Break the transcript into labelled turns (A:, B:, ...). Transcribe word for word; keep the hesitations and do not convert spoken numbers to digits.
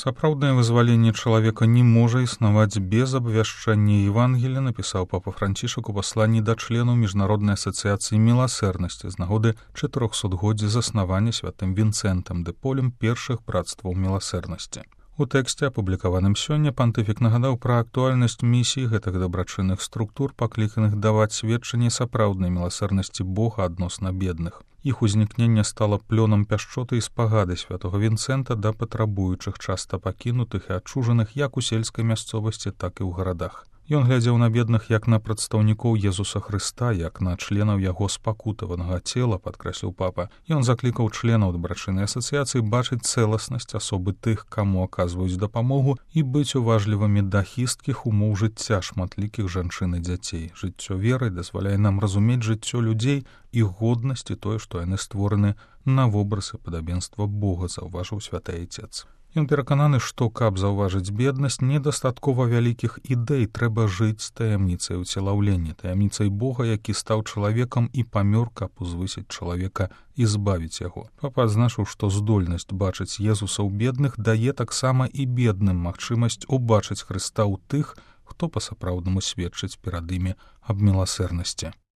A: Сапраўднае вызваленне чалавека не можа існаваць без абвяшчання Евангелія, напісаў папа Францішак у пасланні да членаў міжнароднай асацыяцыі міласэрнасці з нагоды чатырохсотгоддзя заснавання святым Вінцэнтам дэ Полем першых братстваў міласэрнасці. У тэксце, апублікаваным сёння, пантыфік нагадаў пра актуальнасць місіі гэтых дабрачынных структур, пакліканых даваць сведчанне сапраўднай міласэрнасці Бога адносна бедных. Іх узнікненне стала плёнам пяшчоты і спагады святого Вінцэнта да патрабуючых, часта пакінутых і адчужаных як у сельскай мясцовасці, так і ў гарадах. Ён глядзеў на бедных як на прадстаўнікоў Езуса Хрыста, як на членаў яго спакутаванага цела, падкрэсліў папа. Ён заклікаў членаў дабрачыннай асацыяцыі бачыць цэласнасць асобы тых, каму аказваюць дапамогу, і быць уважлівымі да хісткіх умоў жыцця шматлікіх жанчын і дзяцей. Жыццё веры дазваляе нам разумець жыццё людзей, іх годнасць і тое, што яны створаны на вобраз і падабенства Бога, заўважыў святы Айцец. Ён перакананы, што, каб заўважыць беднасць, недастаткова вялікіх ідэй, трэба жыць з таямніцай уцелаўлення, таямніцай Бога, які стаў чалавекам і памёр, каб узвысіць чалавека і збавіць яго. Папа адзначыў, што здольнасць бачыць Езуса ў бедных дае таксама і бедным магчымасць убачыць Хрыста ў тых, хто па-сапраўднаму сведчыць перад імі аб міласэрнасці.